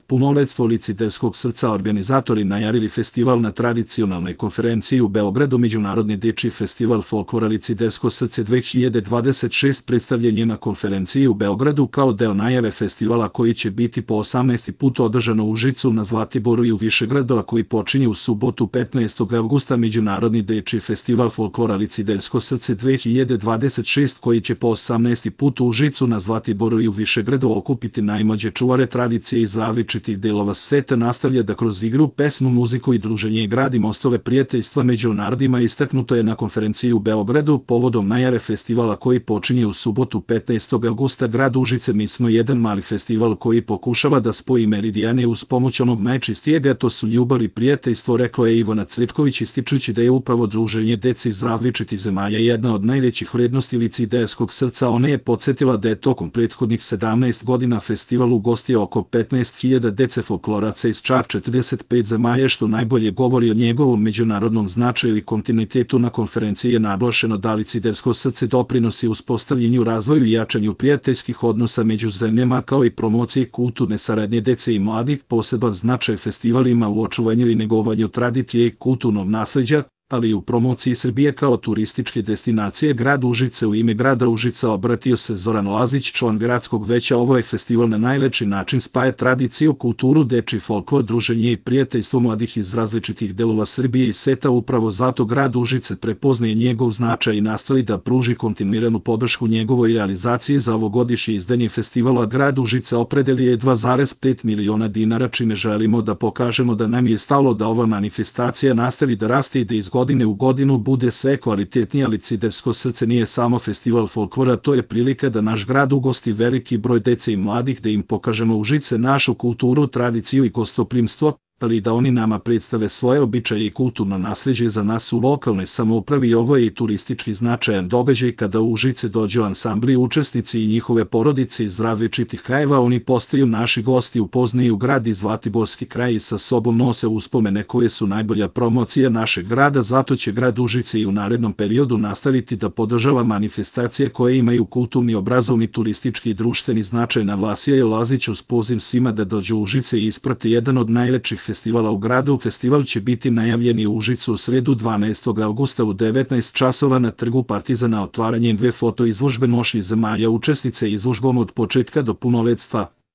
Punoletstvo Liciderskog srca organizatori najavili festival na tradicionalnoj konferenciji u Beogradu. Međunarodni dečiji festival folklora Licidersko srce 2026 predstavljen je na konferenciji u Beogradu kao deo najave festivala koji će biti po 18. put održano u Užicu, na Zlatiboru i u Višegradu, a koji počinje u subotu 15. avgusta. Međunarodni dečiji festival folklora Licidersko srce 2026 koji će po 18. put u Užicu, na Zlatiboru i u Višegradu okupiti najmlađe čuvare tradicije iz različitih delova sveta, nastavlja da kroz igru, pesmu, muziku i druženje gradi mostove prijateljstva među narodima. Istaknuto je na konferenciji u Beogradu povodom najave festivala koji počinje u subotu 15. avgusta. Grad Užice, mi smo jedan mali festival koji pokušava da spoji meridijane uz pomoć onog najčistijega, to su ljubav i prijateljstvo, rekla je Ivana Cvetković, ističući da je upravo druženje dece iz različitih zemalja jedna od najvećih vrednosti Liciderskog srca. Ona je podsjetila da je tokom prethodnih 17 godina festival ugostio oko 15.000 dece folkloraca iz čak 45 zemalja, što najbolje govori o njegovom međunarodnom značaju i kontinuitetu. Na konferenciji je naglašeno da Licidersko srce doprinosi uspostavljanju, razvoju i jačanju prijateljskih odnosa među zemljama, kao i promociji kulturne saradnje dece i mladih. Poseban značaj festival ima u očuvanju i negovanju tradicije i kulturnog nasleđa, ali i u promociji Srbije kao turističke destinacije. Grad Užice, u ime grada Užica obratio se Zoran Lazić, član gradskog veća. Ovaj festival na najlepši način spaja tradiciju, kulturu, dečiji folklor, druženje i prijateljstvo mladih iz različitih delova Srbije i sveta. Upravo zato grad Užice prepoznaje njegov značaj i nastoji da pruži kontinuiranu podršku njegovoj realizaciji. Za ovogodišnje izdanje festivala grad Užice opredelio je 2,5 miliona dinara, čime želimo da pokažemo da nam je stalo da ova manifestacija nastavi da raste i da iz godine u godinu bude sve kvalitetnija. Licidersko srce nije samo festival folklora, to je prilika da naš grad ugosti veliki broj dece i mladih, da im pokažemo Užice, našu kulturu, tradiciju i gostoprimstvo, ali da oni nama predstave svoje običaje i kulturno nasleđe. Za nas u lokalnoj samoupravi ovo je i turistički značajan događaj. Kada u Užice dođu ansambli, učesnici i njihove porodice iz različitih krajeva, oni postaju naši gosti, upoznaju grad i Zlatiborski kraj i sa sobom nose uspomene koje su najbolja promocija našeg grada. Zato će grad Užice i u narednom periodu nastaviti da podržava manifestacije koje imaju kulturni, obrazovni, turistički i društveni značaj. Naglasio je Lazić uz poziv svima da dođu u Užice i isprate jedan od najlepših festivala u gradu. Festival će biti najavljen u Užicu u sredu 12. avgusta u 19 časova na Trgu Partizana. Otvaranjem 2 foto izložbe nošnji zemalja učesnice izložbom od početka do punoletstva.